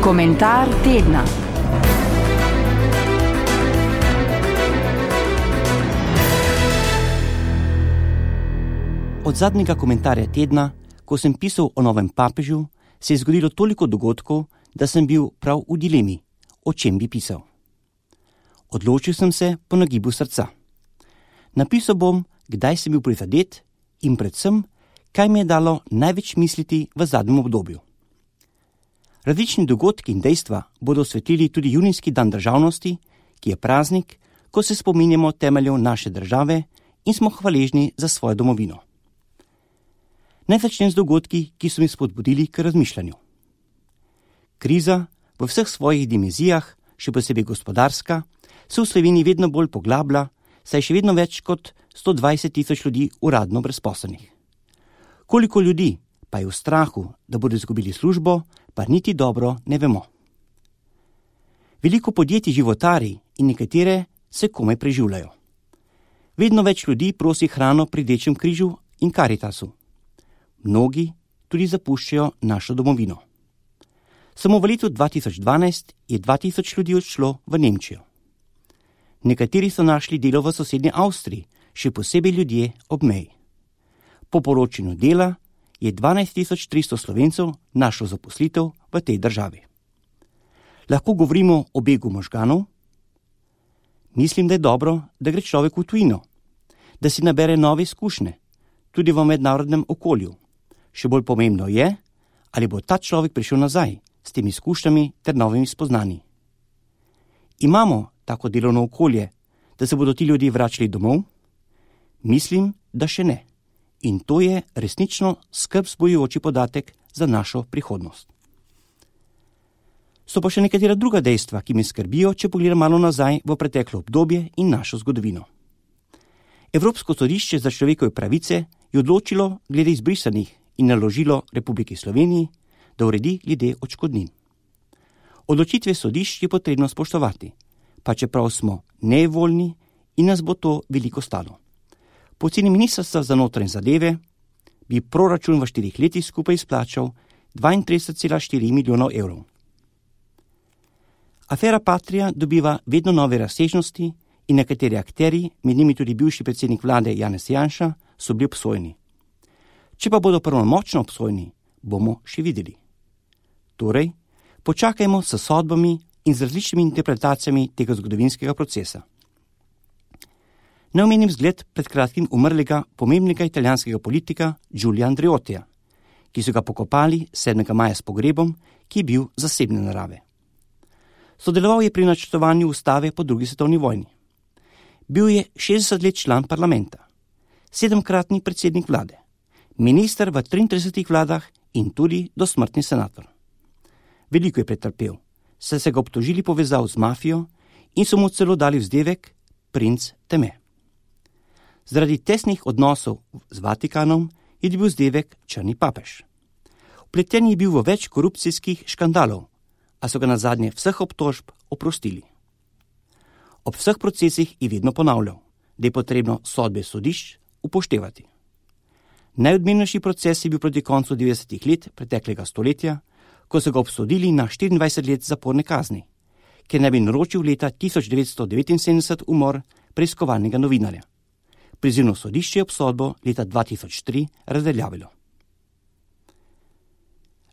Komentar tedna. Od zadnjega komentarja tedna, ko sem pisal o novem papežu, se je zgodilo toliko dogodkov, da sem bil prav v dilemi, o čem bi pisal. Odločil sem se po nagibu srca. Napisal bom, kdaj sem bil prizadet in predvsem, kaj mi je dalo največ misliti v zadnjem obdobju. Različni dogodki in dejstva bodo osvetlili tudi junijski dan državnosti, ki je praznik, ko se spominjamo temeljev naše države in smo hvaležni za svojo domovino. Naj začnem z dogodki, ki so mi spodbudili k razmišljanju. Kriza v vseh svojih dimenzijah, še posebej gospodarska, se v Sloveniji vedno bolj poglablja, saj je še vedno več kot 120 tisoč ljudi uradno brezposelnih. Koliko ljudi pa je v strahu, da bodo izgubili službo, pa niti dobro ne vemo. Veliko podjetij životari in nekatere se komaj preživljajo. Vedno več ljudi prosi hrano pri Rdečem križu in Karitasu. Mnogi tudi zapuščajo našo domovino. Samo v letu 2012 je 2000 ljudi odšlo v Nemčijo. Nekateri so našli delo v sosednji Avstriji, še posebej ljudje ob meji. Po poročanju Dela je 12.300 Slovencev našlo zaposlitev v tej državi. Lahko govorimo o begu možganov? Mislim, da je dobro, da gre človek v tujino, da si nabere nove izkušnje, tudi v mednarodnem okolju. Še bolj pomembno je, ali bo ta človek prišel nazaj s temi izkušnjami ter novimi spoznanji. Imamo tako delovno okolje, da se bodo ti ljudje vračali domov? Mislim, da še ne. In to je resnično skrb vzbujajoči podatek za našo prihodnost. So pa še nekatera druga dejstva, ki me skrbijo, če pogledam malo nazaj v preteklo obdobje in našo zgodovino. Evropsko sodišče za človekove pravice je odločilo glede izbrisanih in naložilo Republiki Sloveniji, da uredi glede odškodnin. Odločitve sodišč je potrebno spoštovati, pa čeprav smo nevoljni in nas bo to veliko stalo. Po oceni Ministrstva za notranje zadeve bi proračun v 4 letih skupaj izplačal 32,4 milijonov evrov. Afera Patria dobiva vedno nove razsežnosti in nekateri akterji, med njimi tudi bivši predsednik vlade Janez Janša, so bili obsojeni. Če pa bodo pravnomočno obsojeni, bomo še videli. Torej, počakajmo s sodbami in z različnimi interpretacijami tega zgodovinskega procesa. Naj omenim zgled pred kratkim umrlega pomembnega italijanskega politika Giulio Andreottija, ki so ga pokopali 7. maja s pogrebom, ki je bil zasebne narave. Sodeloval je pri načrtovanju ustave po drugi svetovni vojni. Bil je 60 let član parlamenta, 7-kratni predsednik vlade, minister v 33 vladah in tudi dosmrtni senator. Veliko je pretrpel, saj se ga obtožili povezav z mafijo in so mu celo dali vzdevek princ teme. Zaradi tesnih odnosov z Vatikanom je dobil vzdevek črni papež. Vpleten je bil v več korupcijskih škandalov, a so ga nazadnje vseh obtožb oprostili. Ob vseh procesih je vedno ponavljal, da je potrebno sodbe sodišč upoštevati. Najodmevnejši proces je bil proti koncu 90. let preteklega stoletja, ko so ga obsodili na 24 let zaporne kazni, ker naj bi naročil leta 1979 umor preiskovalnega novinarja. Prizivno sodišče je obsodbo leta 2003 razveljavilo.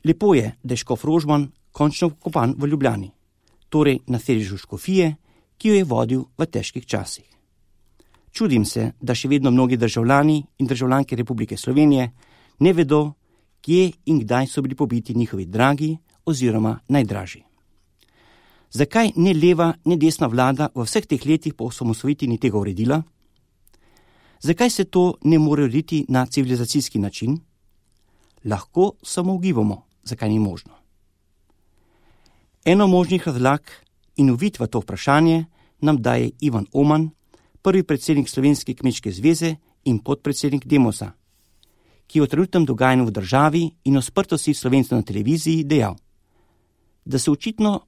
Lepo je, da je škof Rožman končno vkopan v Ljubljani, torej na sedežu škofije, ki jo je vodil v težkih časih. Čudim se, da še vedno mnogi državljani in državljanke Republike Slovenije ne vedo, kje in kdaj so bili pobiti njihovi dragi oziroma najdražji. Zakaj ne leva, ne desna vlada v vseh teh letih po osamosvojitvi ni tega uredila? Zakaj se to ne more urediti na civilizacijski način? Lahko samo ugibamo, zakaj ni možno. Eno možnih razlag in uvid v to vprašanje nam daje Ivan Oman, prvi predsednik Slovenske kmečke zveze in podpredsednik Demosa, ki je o trenutnem dogajanju v državi in o sprtosti Slovencev na televiziji dejal, da se očitno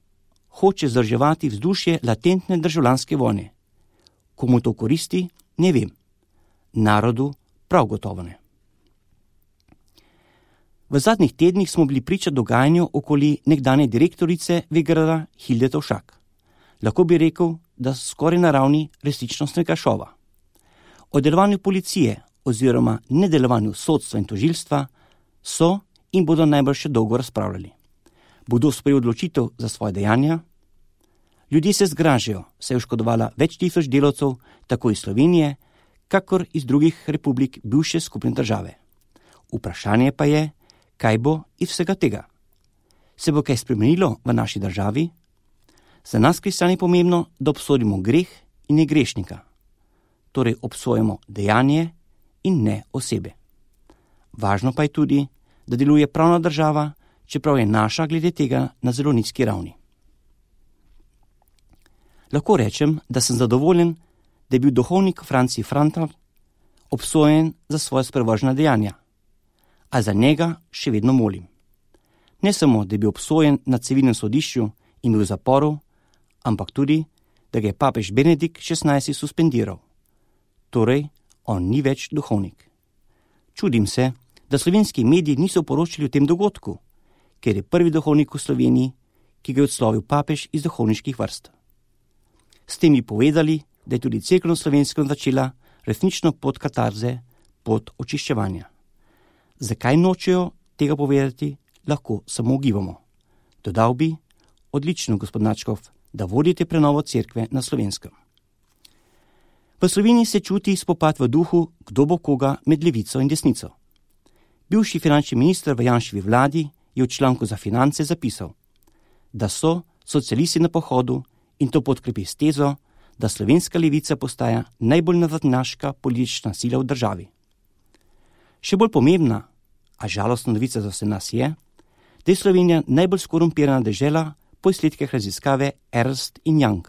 hoče vzdrževati vzdušje latentne državljanske vojne. Komu to koristi, ne vem. Narodu prav gotovo ne. V zadnjih tednih smo bili priča dogajanju okoli nekdanje direktorice Vegrada Hilde Tovšak. Lahko bi rekel, da skoraj na ravni resničnostnega šova. O delovanju policije oziroma nedelovanju sodstva in tožilstva so in bodo najbolj še dolgo razpravljali. Bodo sprejeli odločitev za svoje dejanja? Ljudje se zgražajo, saj je oškodovala več tisoč delavcev tako iz Slovenije, kakor iz drugih republik bivše skupne države. Vprašanje pa je, kaj bo iz vsega tega? Se bo kaj spremenilo v naši državi? Za nas kristjani je pomembno, da obsodimo greh in ne grešnika. Torej obsojamo dejanje in ne osebe. Važno pa je tudi, da deluje pravna država, čeprav je naša glede tega na zelo nizki ravni. Lahko rečem, da sem zadovoljen, da je bil duhovnik Franci Frantal obsojen za svoje sprevržena dejanja, a za njega še vedno molim. Ne samo, da je bil obsojen na civilnem sodišču in bil v zaporu, ampak tudi, da ga je papež Benedikt XVI suspendiral. Torej, on ni več duhovnik. Čudim se, da slovenski mediji niso poročali o tem dogodku, ker je prvi duhovnik v Sloveniji, ki ga je odslovil papež iz duhovniških vrst. S tem bi povedali, da je tudi cerkev na Slovenskem začela resnično pot katarze, pot očiščevanja. Zakaj nočejo tega povedati, lahko samo ugibamo. Dodal bi, odlično, gospod Načkov, da vodite prenovo cerkve na Slovenskem. V Sloveniji se čuti spopad v duhu, kdo bo koga med levico in desnico. Bivši finančni minister v Janševi vladi je v članku za Finance zapisal, da so socialisti na pohodu in to podkrepi s tezo, da slovenska levica postaja najbolj nazadnjaška politična sila v državi. Še bolj pomembna, a žalostna novica za vse nas je, da je Slovenija najbolj skorumpirana dežela po izsledkih raziskave Ernst & Young.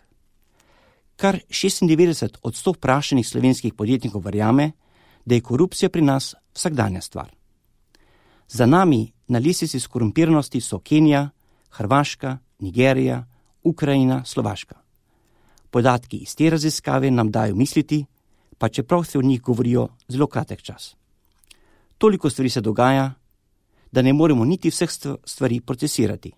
Kar 96% vprašanih slovenskih podjetnikov verjame, da je korupcija pri nas vsakdanja stvar. Za nami na lestvici skorumpiranosti so Kenija, Hrvaška, Nigerija, Ukrajina, Slovaška. Podatki iz te raziskave nam dajo misliti, pa čeprav se o njih govorijo zelo kratek čas. Toliko stvari se dogaja, da ne moremo niti vseh stvari procesirati.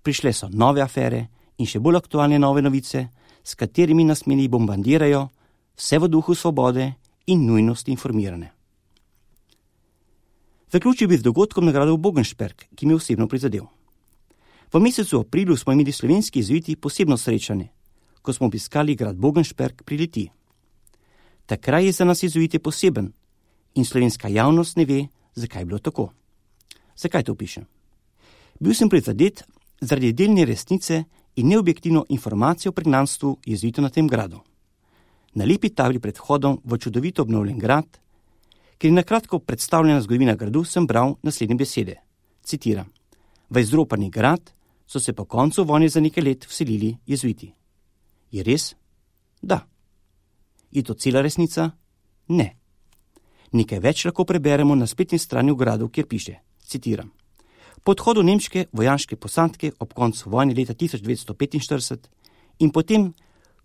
Prišle so nove afere in še bolj aktualne nove novice, s katerimi nas mediji bombardirajo, vse v duhu svobode in nujnosti informirane. Zaključil bi z dogodkom nagrado Bogenšperk, ki mi je osebno prizadel. V mesecu aprilu smo imeli slovenski jezuiti posebno srečanje, ko smo obiskali grad Bogenšperk pri Litiji. Ta kraj je za nas jezuite poseben in slovenska javnost ne ve, zakaj je bilo tako. Zakaj to pišem? Bil sem prizadet zaradi delne resnice in neobjektivno informacijo o pregnanstvu jezuitov na tem gradu. Na lepi tabli pred vhodom v čudovito obnovljen grad, ker je nakratko predstavljena zgodovina gradu, sem bral naslednje besede. Citiram: v izropani grad so se po koncu vojne za nekaj let vselili jezuiti. Je res? Da. Je to cela resnica? Ne. Nekaj več lahko preberemo na spletni strani v gradu, kjer piše, citiram: po odhodu nemške vojaške posadke ob koncu vojne leta 1945 in potem,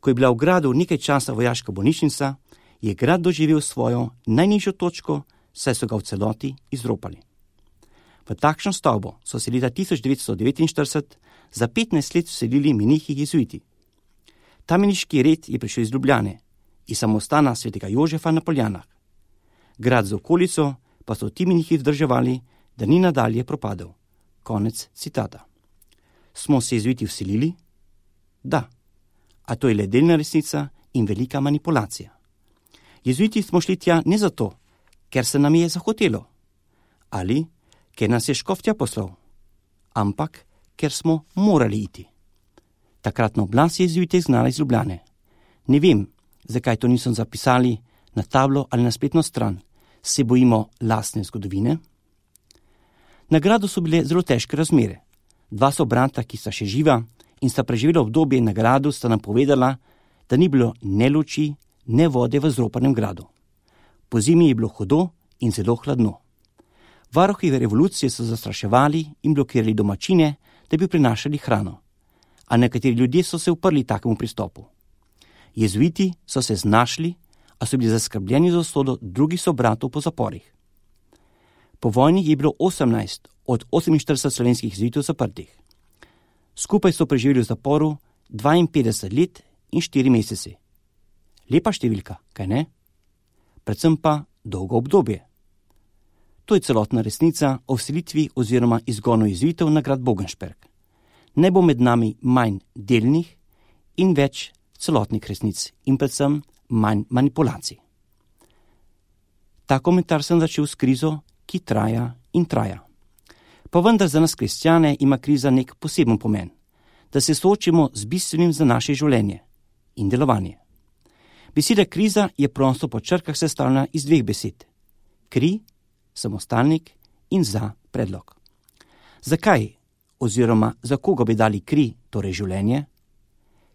ko je bila v gradu nekaj časa vojaška bolnišnica, je grad doživel svojo najnižjo točko, saj so ga v celoti izropali. V takšno stavbo so se leta 1949 za 15 let vselili menihi jezuiti. Ta meniški red je prišel iz Ljubljane, iz samostana svetega Jožefa na Poljanah. Grad z okolico pa so ti menihi vzdrževali, da ni nadalje propadel. Konec citata. Smo se jezuiti vselili? Da. A to je le delna resnica in velika manipulacija. Jezuiti smo šli tja ne zato, ker se nam je zahotelo, ali ker nas je škofja poslal, ampak ker smo morali iti. Takratna oblast je jezuite izgnala iz Ljubljane. Ne vem, zakaj to niso zapisali na tablo ali na spletno stran. Se bojimo lastne zgodovine? Na gradu so bile zelo težke razmere. Dva sobrata, ki sta še živa in sta preživela obdobje na gradu, sta nam povedala, da ni bilo ne luči, ne vode v zropanem gradu. Po zimi je bilo hudo in zelo hladno. Varuhi revolucije so zastraševali in blokirali domačine, da bi prinašali hrano. A nekateri ljudje so se uprli takemu pristopu. Jezuiti so se znašli, a so bili zaskrbljeni za usodo drugih sobratov po zaporih. Po vojni je bilo 18 od 48 slovenskih jezuitov zaprtih. Skupaj so preživeli v zaporu 52 let in 4 mesece. Lepa številka, kaj ne? Predvsem pa dolgo obdobje. To je celotna resnica o vselitvi oziroma izgonu jezuitov na grad Bogenšperg. Ne bo med nami manj delnih in več celotnih resnic in predvsem manj manipulacij. Ta komentar sem začel s krizo, ki traja in traja. Pa vendar za nas kristjane ima kriza nek poseben pomen, da se soočimo z bistvenim za naše življenje in delovanje. Beseda kriza je prosto po črkah sestavljena iz 2 besed. Kri, samostalnik in za predlog. Zakaj oziroma za koga bi dali kri, torej življenje?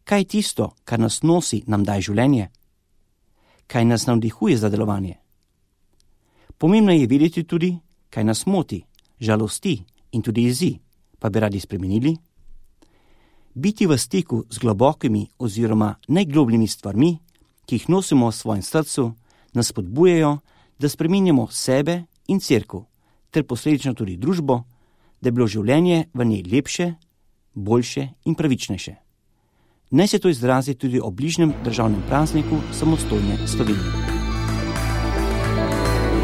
Kaj je tisto, kar nas nosi, nam daje življenje? Kaj nas navdihuje za delovanje? Pomembno je vedeti tudi, kaj nas moti, žalosti in tudi jezi, pa bi radi spremenili. Biti v stiku z globokimi oziroma najglobljimi stvarmi, ki jih nosimo v svojem srcu, nas spodbujajo, da spreminjamo sebe in cerkev, ter posledično tudi družbo, da je bilo življenje v njej lepše, boljše in pravičnejše. Naj se to izrazi tudi ob bližnjem državnem prazniku samostojne Slovenije.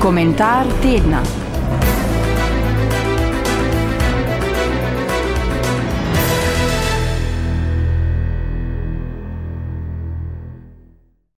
Komentar tedna.